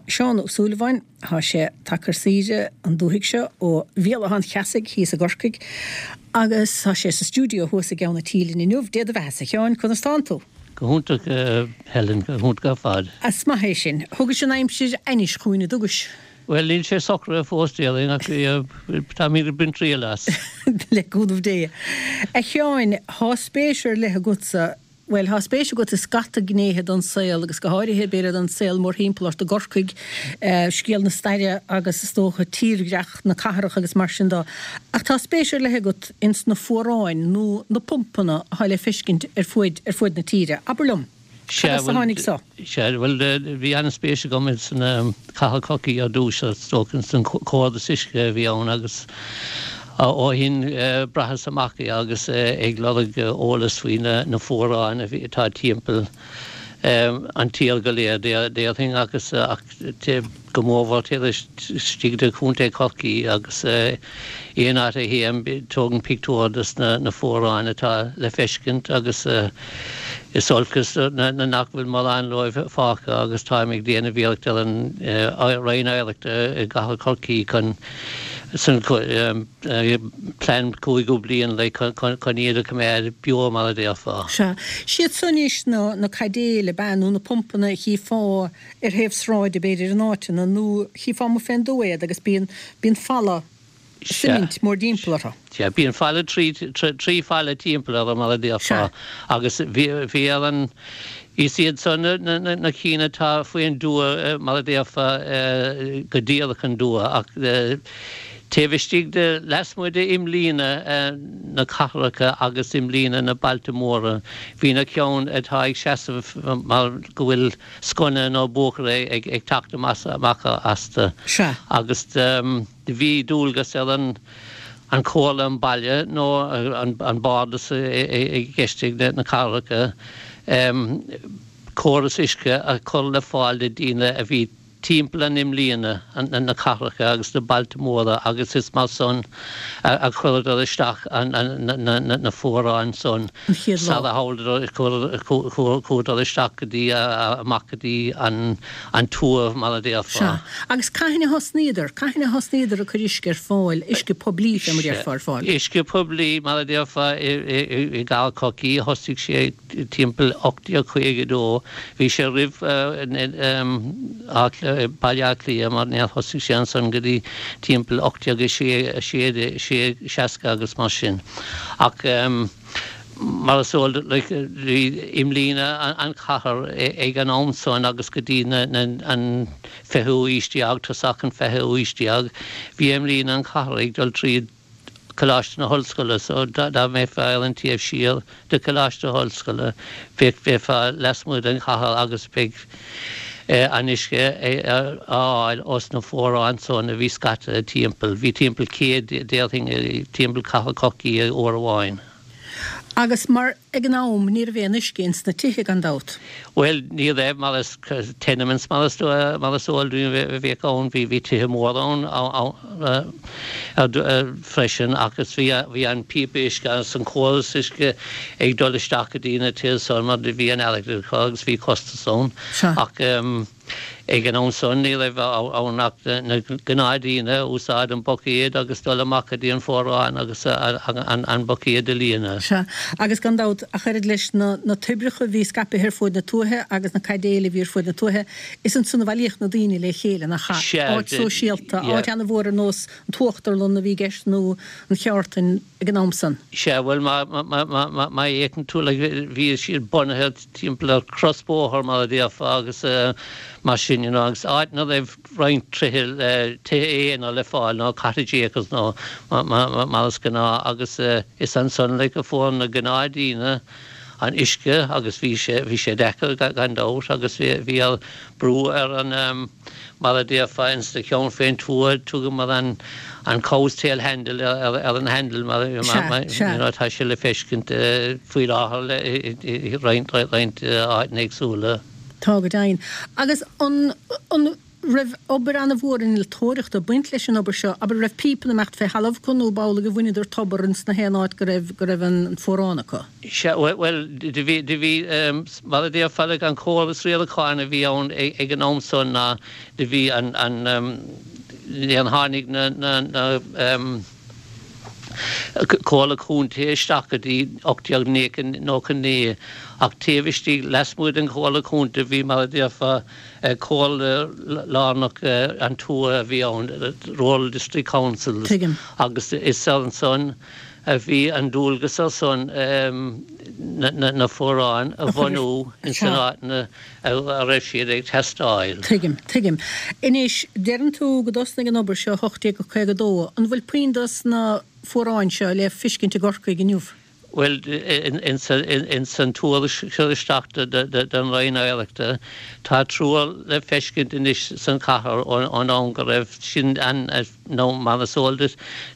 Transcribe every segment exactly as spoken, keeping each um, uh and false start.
Seán Ó Súilleabháin, tá sé tagtha ar saoire an dúthaigh seo ó Bhéal Átha an Cheasaigh thíos i gCorcaigh agus tá sé sa stiúideo thuas i gCeann an Tí linn inniu. Dé do bheatha-sa, a Sheáin, conas tánn tú? Go hiontach, Helen, go hiontach ar fad. Is maith é sin. Thugais an aimsir ainnis chugainn, an dtugais? Bhuel, níl sé socraithe fós, déarfainn, ach táimid ag baint triail as. Le cúnamh Dé. A Sheáin, tá spéis ar leith agatsa, bhuel, tá spéis agat i scata gnéithe den saol agus go háirithe, b'fhéidir, den saol mórthimpeall ort i gCorcaigh, scéal na staire agus is dócha tírdhreach na cathrach agus mar sin de. Ach tá spéis ar leith agat ins na fuaráin nó na pumpanna atá le feiscint ar fuaid ar fuaid na tíre. Abair liom, cad as a tháinig so? Sea, bhuel, bhí an-spéis agam ins an cathair Chorcaí ar dtús, is dócha, ins an córas uisce a bhí ann agus ó shin bhraitheas amach é agus ag lorg eolas faoi na fuaráin a bhí atá timpeall an tír go léir, déarfainn, agus ach go mórmhór taobh istigh de Chontae Chorcaí agus aon áit a théim tógaim pictiúr des na fuaráin atá le feiscint agus is olcas nach bhfuil mórán dóibh fágtha agus táim ag déanamh iarracht ar an Roinn Oidhreachta i gCathair Chorcaí chun san plean cúigiú bliain like chun iad a choimeád beo mar a déarfá. Sea. Siad so anois na caidéil ab ea nó na pumpanna a chífeá ar thaobh sráide b'fhéidir in áiteanna nó chífeá amuigh fén dtuath iad agus bíonn bíonn falla suimint mórdtimpeall orthu. Sea, bíonn falla trí trí falla timpeall orthu mar a déarfá agus bhí bhí ar an is iad san na na na cinn atá faoin dtuath mar a déarfá go díreach an dtuath ach taobh istigh de lasmuigh de imlíne na cathracha agus imlíne na bailte móra bhí na ceann atá ag seasamh mar go bhfuil sconna nó buachaire ag ag teacht amach astu Sea. agus do bhí dualgas ar an an chomhairle an baile nó an an bardas i gceist ag na cathracha córas uisce a chur le fáil do daoine a bhí timpeall an imlíne na cathracha agus na bailte móra agus is mar san a chuireadar isteach na fuaráin san An chéad lá. sara chuadar isteach go dtí amach go dtí an tuath mar a déarfá. Sea. Agus cathain a thosnaíodar? Cathain a thosnaíodar ag cur uisce ar fáil, uisce poiblí fé mar a déarfá, ar fáil? Uisce poiblí mar a déarfá i gCathair Chorcaí thosaigh sé timpeall ocht déag caoga a dó. Bhí sé roimh Baile Átha Cliath mar níor thosaigh sé ansan go dtí timpeall ocht déag a sé seasca agus mar sin. Ach mar is eol duit like bhí imlíne an chathair ag an am san agus go dtí an fichiú aois déag, tosach an fichiú aois déag, bhí imlíne an chathair ag dul tríd Coláiste na hOllscoile so dá mbeifeá ar an taobh siar de Choláiste na hOllscoile bheadh bheifeá lasmuigh den chathair agus beidh an uisce á fháil ós na fuaráin san a bhí scaite timpeall. Bhí timpeall céad déarfainn timpeall Cathair Chorcaí uair amháin. Agus mar ag an am ní raibh aon uisce ins na tithe gan dabht. Bhuel ní raibh mar is tenements mar is mar is eol dúinn a bhíodh ann, bhí bhí tithe móra ann freisin ach is bhí bhí an píopa uisce agus an córas uisce ag dul isteach go dtí na tithe san mar bhí an airgead acu agus bhí costas ann Sea. ach Ag an am san ní raibh ann ach na gnáthdhaoine ag úsáid an buicéad agus dul amach go dtí an fuarán agus an buicéad a líonadh. Sea, agus gan dabht, ach oiread leis na na toibreacha a bhí scaipthe ar fuaid na tuaithe agus na caidéil a bhí ar fuaid na tuaithe, is ansan a bhailíodh na daoine le chéile, nach ea? Sea, Áit sóisialta, yeah. áit ana-mhór ar nós an tUachtarlann a bhí i gceist nó an Cheártain ag an am san. Sea, bhuel, má má fhéachann tú, like, bhí siad bunaithe timpeall ar chrosbhóthar mar a déarfá agus mar sin you know agus áit ina raibh roinnt tithe tithe aonair le fáil nó cottage acres nó mar is gnáth agus is ansan like a fuair na gnáthdhaoine an uisce agus bhí sé bhí sé deacair gan dabht agus bhí bhí ar brú ar an mar a déarfá ins na ceann fén tuath thugamar an an cow's tail handle ar ar an handle mar Sea, sea. you know tá sé le feiscint faoi láthair le i roinnt roinnt áiteanna éagsúla. Tá go deimhin. Agus an an raibh obair an-mhór innealtóireachta ag baint leis an obair seo, abair raibh píopanna ag imeacht fé thalamh acu nó b'amhlaidh a bhaineadar tobar ins na haon áit go raibh go raibh an fuarán acu? Sea, bhuel, do bhí, do bhí, mar a déarfá, like, an córas riaracháin a bhí ann ag an am san ná do bhí an, an, níor tháinig na, na, na, Comhairle Contae isteach go dtí ocht déag nócha naoi ach taobh istigh lasmuigh den Chomhairle Contae bhí mar a déarfá comhairle lárnach an tuath a bhí ann, Rural District Councils, Tuigim. agus is ansan a bhí an dualgas ar son na fuaráin a bhunú ins na áiteanna a raibh siad ag teastáil. Tuigim, tuigim. Anois, deireann tú go dtosnaigh an obair seo ocht déag caoga a dó. An bhfuil puinn dos na fuaráin seo le fiscint i gCorcaigh inniu? Bhuel, ins an tuairisc cur isteach don Roinn Oidhreachta, tá triúr le feiscint anois san chathair ón am go raibh sin ann, nó mar is eol duit,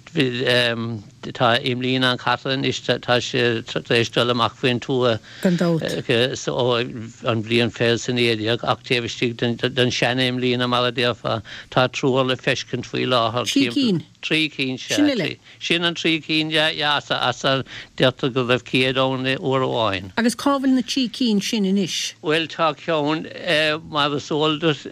tá imlíne an chathair anois, tá sé tar éis dul amach faoin tuath Gan dabht. ó an bhliain fiche is a naoi déag, ach taobh istigh den sean-imlíne, mar a déarfá, tá triúr le feiscint faoi láthair Trí cinn. Trí cinn, sea. Sin uile. Sin an trí cinn, yeah, yeah, as a, as a deirtear go raibh céad ann uair amháin. Agus cá bhfuil na trí cinn sin anois? Bhuel, tá ceann, mar is eol duit,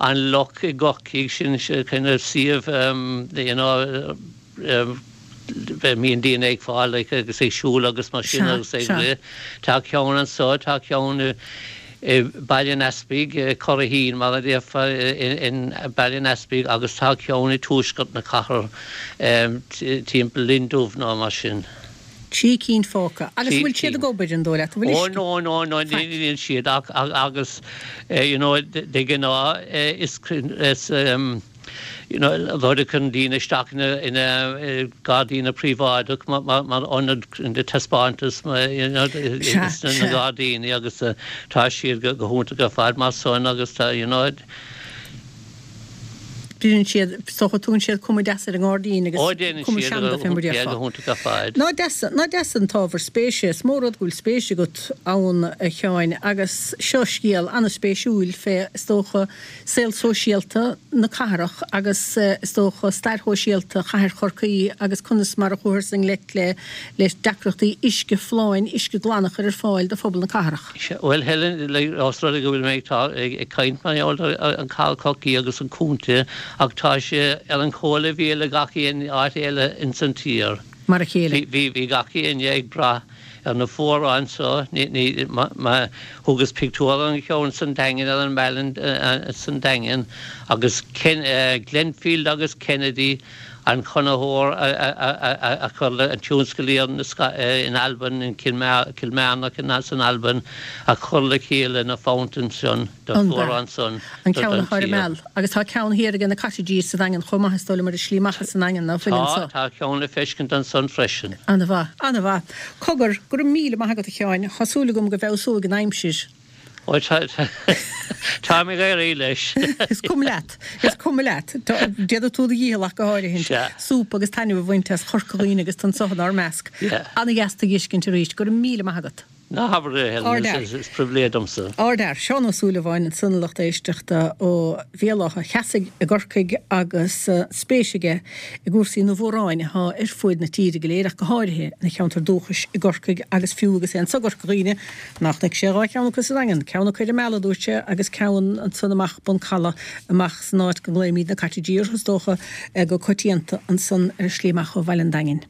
an Loch i gCorcaigh, sin kind of suíomh, you know, mbíonn daoine ag fáil like agus ag siúl agus mar sin agus ag rith. Tá ceann anso, tá ceann i Baile an Easpaig, Curraheen mar a déarfá in Baile an Easpaig agus tá ceann i tuaisceart na cathrach timpeall Linn Dubh nó mar sin. Trí cinn fágtha. Agus bhfuil siad ag obair an dóigh leat? An bhfuil uisce? Ó no, no, no, níl siad ach agus you know de ghnáth is is you know rud a chuireann daoine isteach ina ina gairdíní príobháideach mar mar mar ionad taispeántas you know na gairdíní agus tá siad go hiontach ar fad mar san agus tá you know Bíonn siad, is dócha, tugann siad cuma deas ar an ngairdín agus Ó déanann cuma siad seanda fé mar a go déarfá. hiontach ar fad. Nach deas, nach deas an t-ábhar spéise. Is mór rud go bhfuil spéis agat ann, a Sheáin, agus seo scéal an-spéisiúil fé, is dócha, saol sóisialta na cathrach agus, is dócha, stair shóisialta chathair Chorcaí agus conas mar a chuathas i ngleic le le deacrachtaí uisce folláin, uisce glan a chur ar fáil do phobal na cathrach. Bhuel, Helen, like, os rud é go bhfuil mé ag ag caint mar gheall ar an Cathal Cocí agus an contae, ach tá sé ar an chomhleibhéal le gach aon áit eile ins an tír. Mar a chéile. Bhí bhí gach éinne ag brath ar na fuaráin so, ní ní ma thugas pictiúr an cheann san Daingean ar an mbealach san Daingean agus Ken, Glenfield agus Kennedy an conraitheoir a chuir le an tionsclaíocht in Albain, in Kilmarnock san Albain, a chuir le chéile na fountains sin do fuarán san An ceann atá ar an Meal. Agus tá ceann thiar aige na cottages sa Daingean chomh maith is dóigh liom ar an slí amach as an nDaingean ná fuil anso. Tá, tá ceann le feiscint ansan freisin. Ana-mhaith, ana-mhaith. Cogar, go raibh míle maith agat a Sheáin, tá súil agam go bhfeabhsóidh an aimsir. Ó tá táim ag éirí leis. Is cuma leat, is cuma leat. Déanfaidh tú do dhícheall ach go háirithe. Sea. Súp agus taitneamh a bhaint as Chorca Dhuibhne agus tú anso inár measc. Ana-dheas tú a fheiscint arís. Go raibh míle maith agat. Ná habair é, Helen, is pribhléid domsa. Ardfhear, Seán Ó Súilleabháin ansan a lucht éisteachta ó Bhéal Átha Cheasaigh i gCorcaigh agus spéis aige i gcúrsaí na bhfuaráin atá ar fuaid na tíre go léir ach go háirithe ina cheantar dúchais i gCorcaigh agus fiú agus é anso i gCorca Dhuibhne nach chonaic sé dhá cheann acu sa Daingean, ceann acu ar an Meal a dúirt sé agus ceann ansan amach bun caladh amach san áit go nglaoimid na cottages orthu is dócha go coitianta ansan ar an slí amach ó Bhaile an Daingin.